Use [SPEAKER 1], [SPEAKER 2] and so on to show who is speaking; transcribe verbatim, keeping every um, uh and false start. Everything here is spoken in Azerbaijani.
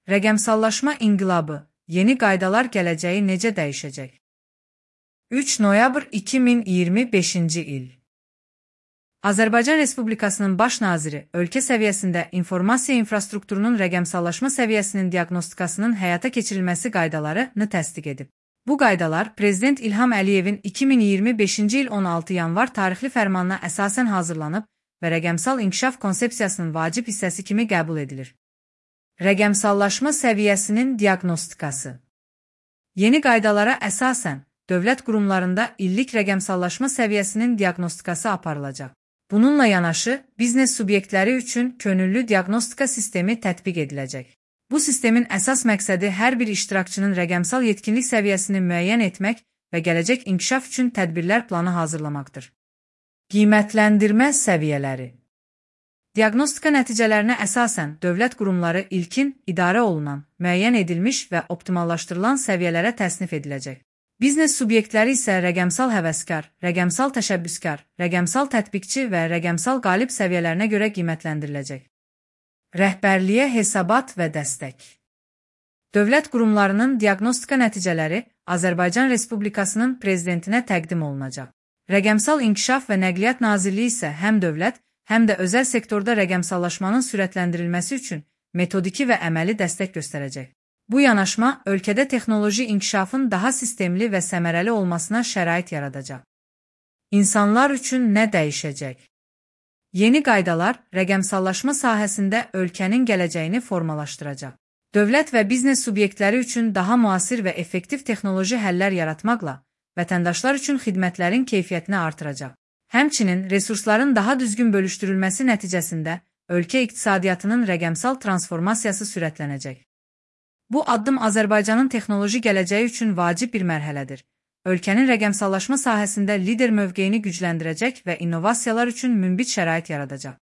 [SPEAKER 1] Rəqəmsallaşma inqilabı, yeni qaydalar gələcəyi necə dəyişəcək? üç noyabr iki min iyirmi beşinci il. Azərbaycan Respublikasının Baş naziri ölkə səviyyəsində informasiya infrastrukturunun rəqəmsallaşma səviyyəsinin diaqnostikasının həyata keçirilməsi qaydalarını təsdiq edib. Bu qaydalar Prezident İlham Əliyevin iki min iyirmi beşinci il on altı yanvar tarixli fərmanına əsasən hazırlanıb və rəqəmsal inkişaf konsepsiyasının vacib hissəsi kimi qəbul edilir. Rəqəmsallaşma səviyyəsinin diaqnostikası. Yeni qaydalara əsasən, dövlət qurumlarında illik rəqəmsallaşma səviyyəsinin diaqnostikası aparılacaq. Bununla yanaşı, biznes subyektləri üçün könüllü diaqnostika sistemi tətbiq ediləcək. Bu sistemin əsas məqsədi hər bir iştirakçının rəqəmsal yetkinlik səviyyəsini müəyyən etmək və gələcək inkişaf üçün tədbirlər planı hazırlamaqdır. Qiymətləndirmə səviyyələri. Diaqnostika nəticələrinə əsasən dövlət qurumları ilkin idarə olunan, müəyyən edilmiş və optimallaşdırılan səviyyələrə təsnif ediləcək. Biznes subyektləri isə rəqəmsal həvəskar, rəqəmsal təşəbbüskar, rəqəmsal tətbiqçi və rəqəmsal qalib səviyyələrinə görə qiymətləndiriləcək. Rəhbərliyə hesabat və dəstək. Dövlət qurumlarının diaqnostika nəticələri Azərbaycan Respublikasının prezidentinə təqdim olunacaq. Rəqəmsal İnkişaf və Nəqliyyat Nazirliyi isə həm dövlət, həm də özəl sektorda rəqəmsallaşmanın sürətləndirilməsi üçün metodiki və əməli dəstək göstərəcək. Bu yanaşma ölkədə texnoloji inkişafın daha sistemli və səmərəli olmasına şərait yaradacaq. İnsanlar üçün nə dəyişəcək? Yeni qaydalar rəqəmsallaşma sahəsində ölkənin gələcəyini formalaşdıracaq. Dövlət və biznes subyektləri üçün daha müasir və effektiv texnoloji həllər yaratmaqla vətəndaşlar üçün xidmətlərin keyfiyyətini artıracaq. Həmçinin resursların daha düzgün bölüşdürülməsi nəticəsində ölkə iqtisadiyyatının rəqəmsal transformasiyası sürətlənəcək. Bu addım Azərbaycanın texnoloji gələcəyi üçün vacib bir mərhələdir. Ölkənin rəqəmsallaşma sahəsində lider mövqeyini gücləndirəcək və innovasiyalar üçün münbit şərait yaradacaq.